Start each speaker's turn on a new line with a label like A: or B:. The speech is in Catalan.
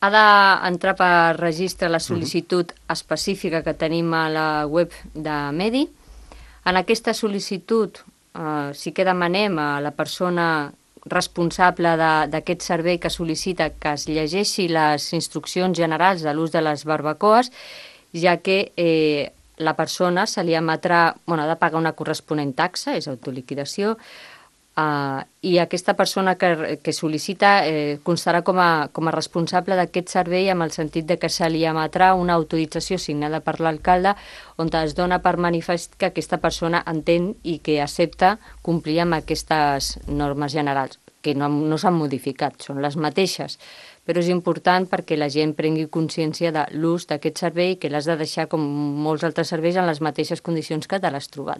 A: Ha d'entrar per registre la sol·licitud específica que tenim a la web de Medi. En aquesta sol·licitud sí que demanem a la persona responsable d'aquest servei que sol·licita que es llegeixi les instruccions generals de l'ús de les barbacoes, ja que la persona se li emetrà, ha de pagar una corresponent taxa, és autoliquidació, i aquesta persona que sol·licita constarà com a responsable d'aquest servei amb el sentit de que se li emetrà una autorització signada per l'alcalde on es dona per manifest que aquesta persona entén i que accepta complir amb aquestes normes generals, que no s'han modificat, són les mateixes, però és important perquè la gent prengui consciència de l'ús d'aquest servei, que l'has de deixar com molts altres serveis en les mateixes condicions que te l'has trobat.